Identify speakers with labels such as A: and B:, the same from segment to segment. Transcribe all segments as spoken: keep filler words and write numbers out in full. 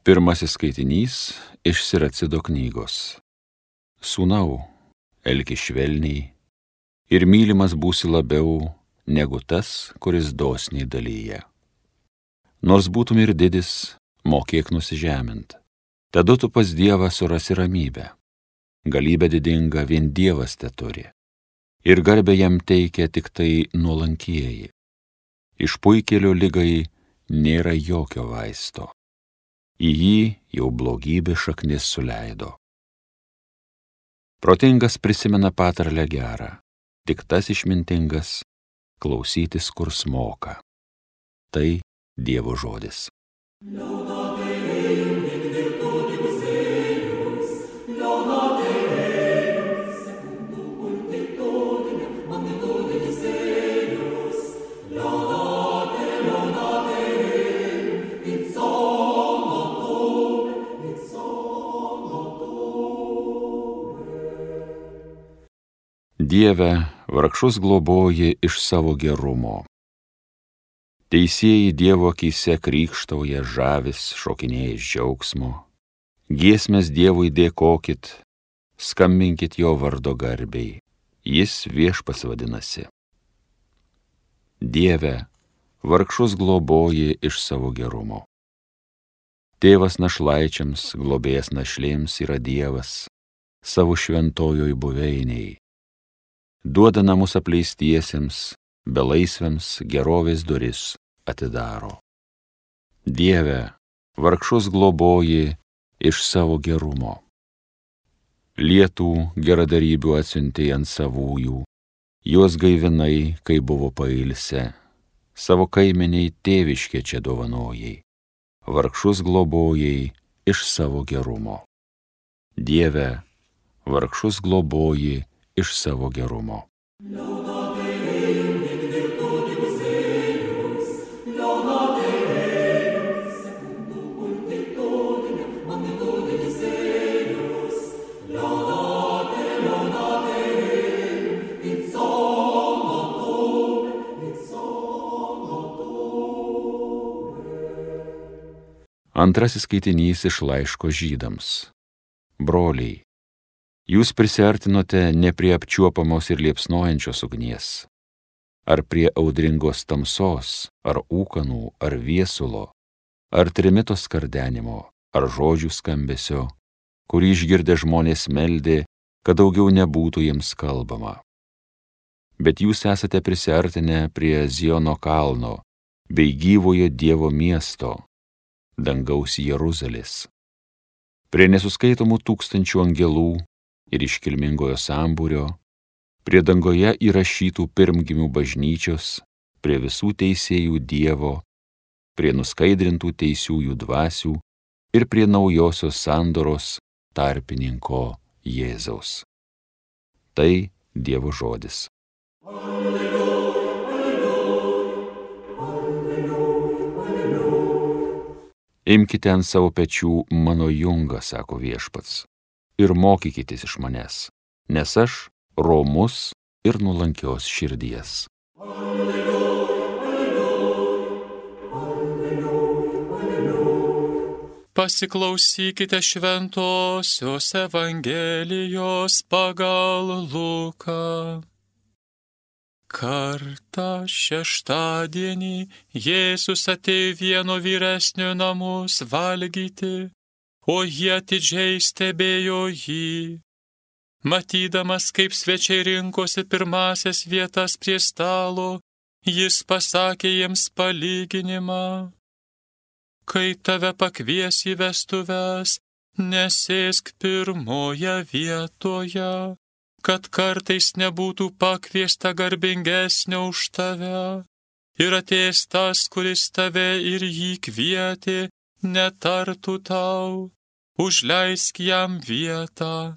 A: Pirmasis skaitinys iš Siracido knygos. Sūnau, elkis švelniai ir mylimas būsi labiau negu tas, kuris dosniai dalyja. Nors būtum ir didis, mokėk nusižemint. Tada tu pas Dievą surasi ramybę. Galybę didingą vien Dievas teturi. Ir garbę jam teikia tik tai nuolankieji. Iš puikėlio ligai nėra jokio vaisto. Į jį jau blogybė šaknis suleido. Protingas prisimena patarlę gerą, tik tas išmintingas klausytis, kur smoka. Tai Dievo žodis. Dieve, vargšus globoji iš savo gerumo. Teisieji Dievo akyse krykštauja, žavis, šokinėja iš džiaugsmo. Giesmes Dievui dėkokit, skambinkit jo vardo garbei, jis Viešpats vadinasi. Dieve, vargšus globoji iš savo gerumo. Tėvas našlaičiams, globėjas našlėms yra Dievas, savo šventojoj buveiniai. Duoda namus apleistiesiems, belaisviams gerovės duris atidaro. Dieve, vargšus globoji iš savo gerumo. Lietų geradarybių atsiuntė ant savųjų, juos gaivinai, kai buvo pailsę, savo kaimeniai tėviškė čia dovanojai, vargšus globojai iš savo gerumo. Dieve, vargšus globoji iš savo gerumo. Antrasis skaitinys iš laiško Žydams. Broliai, jūs prisiartinote ne prie apčiuopamos ir liepsnojančios ugnies, ar prie audringos tamsos, ar ūkanų, ar viesulo, ar trimito skardenimo, ar žodžių skambesio, kurį išgirdę žmonės meldė, kad daugiau nebūtų jiems kalbama. Bet jūs esate prisiartinę prie Ziono kalno, bei gyvojo Dievo miesto, dangaus Jeruzalės, prie nesuskaitomų tūkstančių angelų ir iškilmingojo sambūrio, prie dangoje įrašytų pirmgimių bažnyčios, prie visų teisėjų Dievo, prie nuskaidrintų teisiųjų dvasių ir prie naujosios sandoros tarpininko Jėzaus. Tai Dievo žodis. Imkite ant savo pečių mano jungą, sako Viešpats, ir mokykitės iš manęs, nes aš romus ir nuolankios širdies.
B: Pasiklausykite šventosios Evangelijos pagal Luką. Kartą šeštadienį Jėzus atėjo vieno vyresnio namus valgyti, o jie atidžiai stebėjo jį. Matydamas, kaip svečiai rinkosi pirmasias vietas prie stalo, jis pasakė jiems palyginimą. Kai tave pakvies į vestuves, nesėsk pirmoje vietoje, kad kartais nebūtų pakviesta garbingesnio už tave, ir atėjęs tas, kuris tave ir jį kvietė, netartų tau, užleisk jam vietą.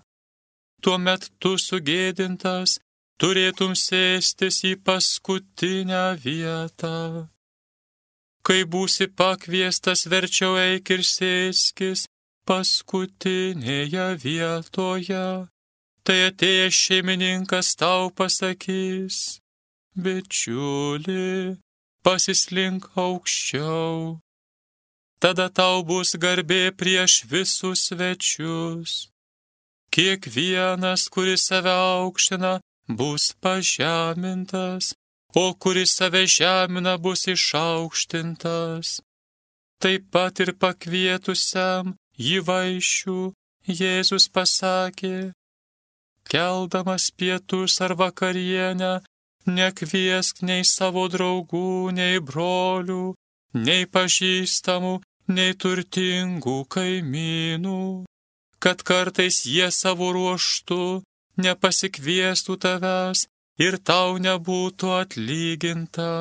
B: Tuomet tu sugėdintas turėtum sėstis į paskutinę vietą. Kai būsi pakviestas, verčiau eik ir sėskis paskutinėje vietoje. Tai atėjęs šeimininkas tau pasakys: bičiuli, pasislink aukščiau. tada tau bus garbė prieš visus svečius. Kiekvienas, kuris save aukština, bus pažemintas, o kuris save žemina, bus išaukštintas. Taip pat ir pakvietusiam jį vaišių Jėzus pasakė: keldamas pietus ar vakarienę, nekviesk nei savo draugų, nei brolių, nei pažįstamų, nei turtingų kaimynų, kad kartais jie savo ruožtu nepasikviestų tavęs ir tau nebūtų atlyginta.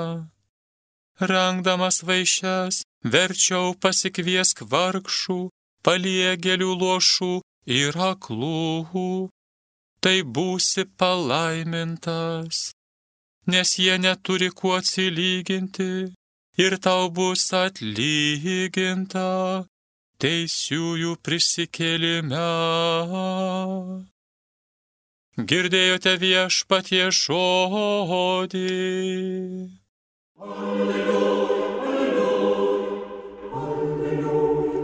B: Rengdamas vaišes, verčiau pasikviesk vargšų, paliegėlių, luošų ir aklų. Tai būsi palaimintas, nes jie neturi kuo atsilyginti ir tau bus atlyginta teisiųjų prisikėlime. Girdėjote Viešpaties žodį.
C: Alleluja, alleluja,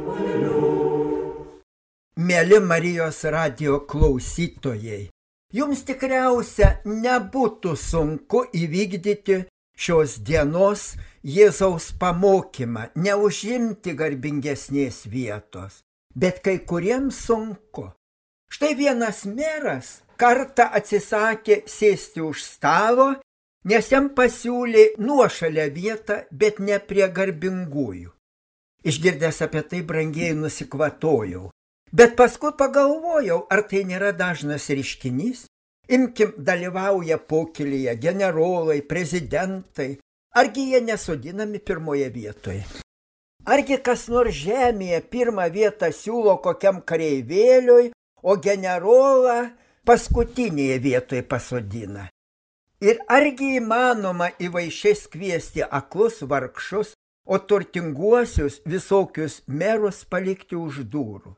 C: alleluja. Mėly Marijos radijo klausytojai, jums tikriausia nebūtų sunku įvykdyti šios dienos Jėzaus pamokymą, neužimti garbingesnės vietos, bet kai kuriems sunku. Štai vienas meras kartą atsisakė sėsti už stalo, nes jam pasiūlė nuošalę vietą, bet ne prie garbingųjų. Išgirdęs apie tai, brangieji, nusikvatojau. Bet paskui pagalvojau, ar tai nėra dažnas reiškinys. Imkim, dalyvauja pokylyje generolai, prezidentai. Argi jie nesodinami pirmoje vietoje? Argi kas nors žemėje pirmą vietą siūlo kokiam kareivėliui, o generolą paskutinėje vietoje pasodina? Ir argi įmanoma į vaišes kviesti aklus vargšus, o turtinguosius visokius merus palikti už durų?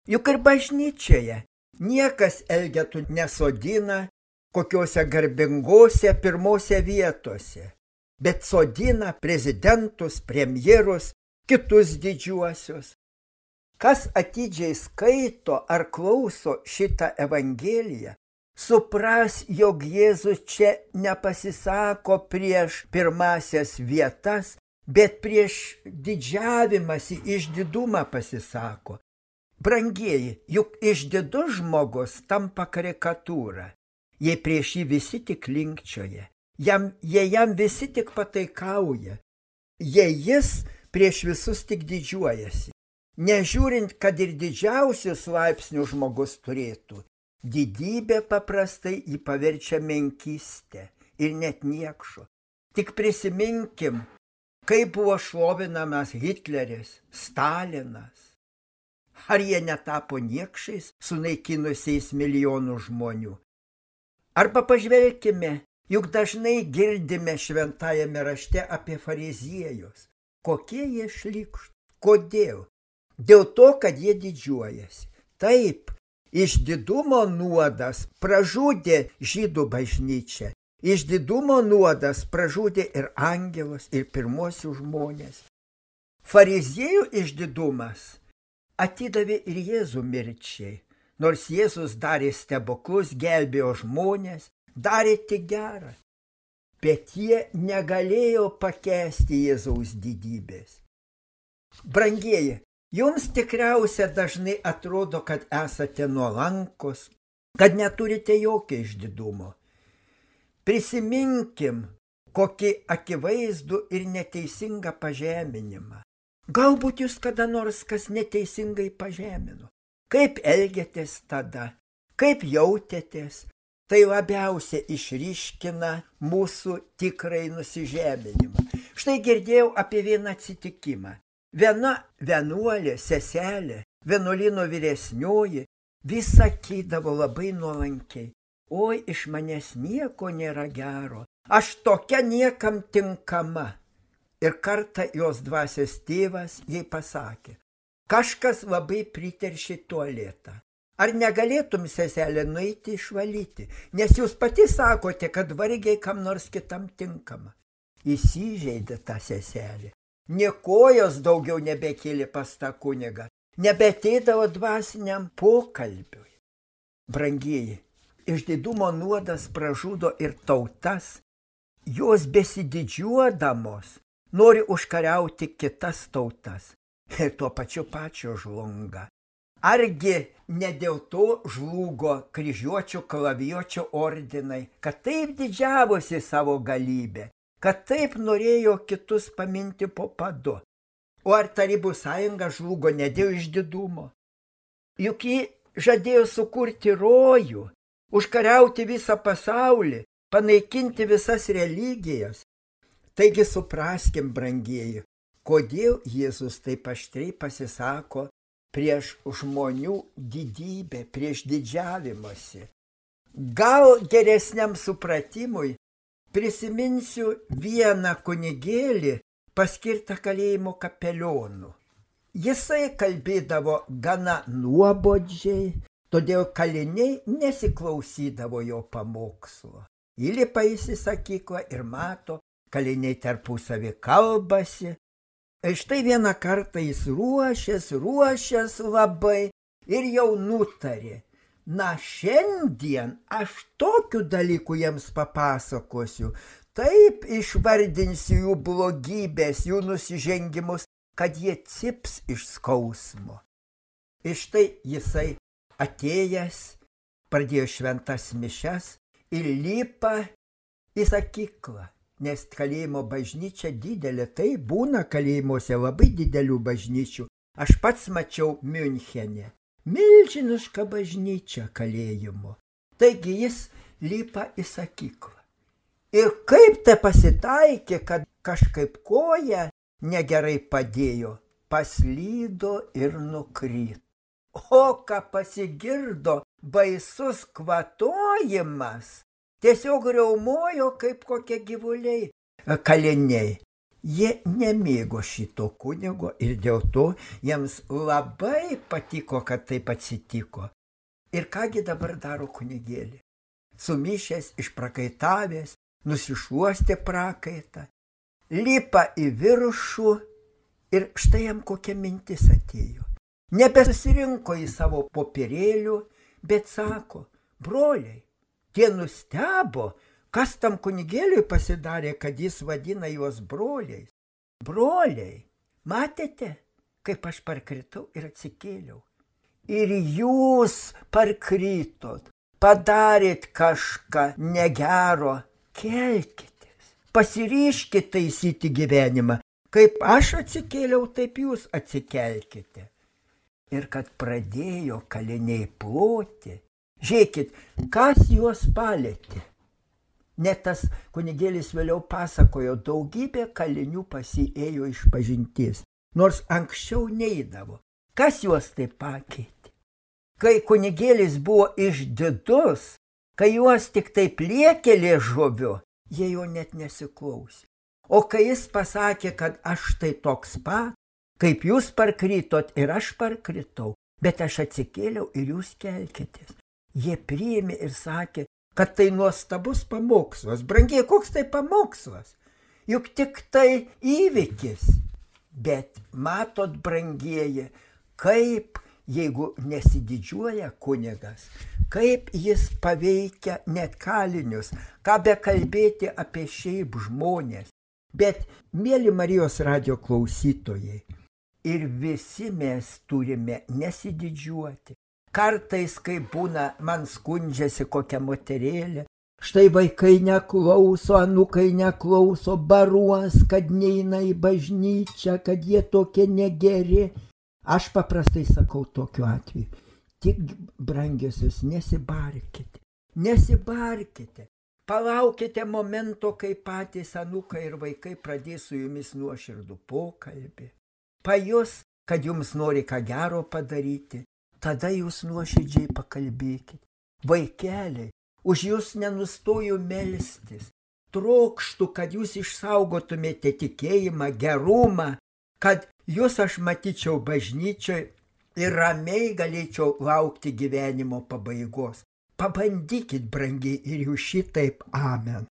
C: Juk ir bažnyčioje niekas elgetų nesodina kokiuose garbingose pirmose vietose, bet sodina prezidentus, premjerus, kitus didžiuosius. Kas atidžiai skaito ar klauso šitą evangeliją, supras, jog Jėzus čia nepasisako prieš pirmasias vietas, bet prieš didžiavimąsi, išdidumą pasisako. Brangieji, juk išdidus žmogus tampa karikatūra, jei prieš jį visi tik linkčioja, jam, jei jam visi tik pataikauja, jei jis prieš visus tik didžiuojasi. Nežiūrint, kad ir didžiausius laipsnių žmogus turėtų, didybė paprastai jį paverčia menkystę ir net niekšu. Tik prisiminkim, kaip buvo šlovinamas Hitleris, Stalinas. Ar jie netapo niekšais, sunaikinusiais milijonų žmonių? Arba pažvelkime, juk dažnai girdime šventajame rašte apie fariziejus. Kokie jie šlykštūs? Kodėl? Dėl to, kad jie didžiuojasi. Taip, išdidumo nuodas pražudė žydų bažnyčią. Išdidumo nuodas pražudė ir angelus, ir pirmosius žmonės. Fariziejų išdidumas atidavė ir Jėzų mirčiai. Nors Jėzus darė stebuklus, gelbėjo žmonės, darė tik gerą. Bet jie negalėjo pakęsti Jėzaus didybės. Brangieji, jums tikriausia dažnai atrodo, kad esate nuolankus, kad neturite jokio išdidumo. Prisiminkim, kokį akivaizdų ir neteisingą pažeminimą. Galbūt jūs kada nors kas neteisingai pažemino. Kaip elgiatės tada? Kaip jautėtės? Tai labiausiai išryškina mūsų tikrai nusižeminimą. Štai girdėjau apie vieną atsitikimą. Viena vienuolė, seselė, vienuolyno vyresnioji, vis sakydavo labai nuolankiai: oi, iš manęs nieko nėra gero, aš tokia niekam tinkama. Ir kartą jos dvasios tėvas jai pasakė: kažkas labai priteršė tualetą. Ar negalėtum, seselė, nueiti išvalyti, nes jūs pati sakote, kad vargiai kam nors kitam tinkama. Įsižeidė ta seselė. Niekojos daugiau nebekėlė pas tą kunigą, nebeteidavo dvasiniam pokalbiui. Brangieji, išdidumo nuodas pražudo ir tautas, jos besididžiuodamos nori užkariauti kitas tautas ir tuo pačiu pačio žlunga. Argi ne dėl to žlugo kryžiuočių kalavijuočių ordinai, kad taip didžiavosi savo galybę, kad taip norėjo kitus paminti po padu. O ar Tarybų sąjunga žlugo ne dėl išdidumo? Juk ji žadėjo sukurti rojų, užkariauti visą pasaulį, panaikinti visas religijas. Taigi supraskim, brangieji, kodėl Jėzus taip aštriai pasisako prieš žmonių didybę, prieš didžiavimąsi. Gal geresniam supratimui prisiminsiu vieną kunigėlį paskirtą kalėjimo kapelionu. Jisai kalbėdavo gana nuobodžiai, todėl kaliniai nesiklausydavo jo pamokslo. Įlipa jis į sakyklą ir mato, kaliniai tarpusavy kalbasi. Ir štai vieną kartą jis ruošės, ruošės labai ir jau nutarė. Na, šiandien aš tokių dalykų jiems papasakosiu, taip išvardinsiu jų blogybės, jų nusižengimus, kad jie cips iš skausmo. Ir štai jisai atėjęs, pradėjo šventas mišias ir lipa į sakyklą, nes kalėjimo bažnyčia didelė, tai būna kalėjimuose labai didelių bažnyčių. Aš pats mačiau Miunchene. Milžiniška bažnyčia kalėjimo. Taigi jis lipa į sakyklą. Ir kaip te pasitaikė, kad kažkaip koja negerai padėjo, paslydo ir nukrito. O ką pasigirdo baisus kvatojimas, tiesiog riaumojo kaip kokie gyvuliai. Kaliniai, jie nemėgo šito kunigo ir dėl to jiems labai patiko, kad taip atsitiko. Ir kągi dabar daro kunigėlį? Sumišęs, išprakaitavęs, nusišuostė prakaitą, lipa į viršų ir štai jam kokia mintis atėjo. Nebesusirinko į savo popierėlių, bet sako, broliai, tie nustebo, kas tam kunigėliui pasidarė, kad jis vadina juos broliais. Broliai, matėte, kaip aš parkritau ir atsikėliau. Ir jūs parkritot, padarėt kažką negero, kelkitės, pasiryškit taisyti gyvenimą. Kaip aš atsikėliau, taip jūs atsikelkite. Ir kad pradėjo kaliniai ploti, žiūrėkit, kas juos palėtė. Net tas kunigėlis vėliau pasakojo, daugybė kalinių pasiėjo iš pažinties, nors anksčiau neidavo. Kas juos taip pakeitė? Kai kunigėlis buvo išdidus, kai juos tik taip liekė liežuviu, jie jo net nesiklausė. O kai jis pasakė, kad aš tai toks pat, kaip jūs parkritot ir aš parkritau, bet aš atsikėliau ir jūs kelkitės. Jie priėmė ir sakė, kad tai nuostabus pamokslas. Brangiai, koks tai pamokslas? Juk tik tai įvykis. Bet matot, brangieji, kaip, jeigu nesididžiuoja kunigas, kaip jis paveikia net kalinius, ką be kalbėti apie šiaip žmonės. Bet, mėly Marijos radijo klausytojai, ir visi mes turime nesididžiuoti. Kartais, kai būna, man skundžiasi kokia moterėlė, štai vaikai neklauso, anūkai neklauso, baruos, kad neina į bažnyčią, kad jie tokie negeri. Aš paprastai sakau tokiu atveju, tik brangiosios, nesibarkite, nesibarkite. Palaukite momento, kai patys anūkai ir vaikai pradės su jumis nuoširdų pokalbį. Pajus, kad jums nori ką gero padaryti, tada jūs nuoširdžiai pakalbėkite. Vaikeliai, už jūs nenustoju melstis. Trokštu, kad jūs išsaugotumėte tikėjimą, gerumą, kad jūs aš matyčiau bažnyčioje ir ramiai galėčiau laukti gyvenimo pabaigos. Pabandykit, brangiai, ir jūs šitaip. Amen.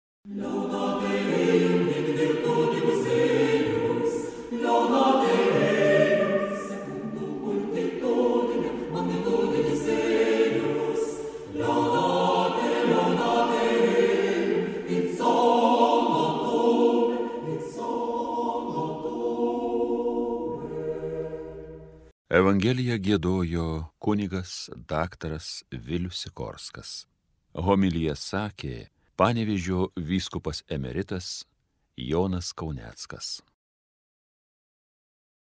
A: Evangeliją giedojo kunigas daktaras Vilius Sikorskas. Homiliją sakė Panevėžio vyskupas emeritas Jonas Kauneckas.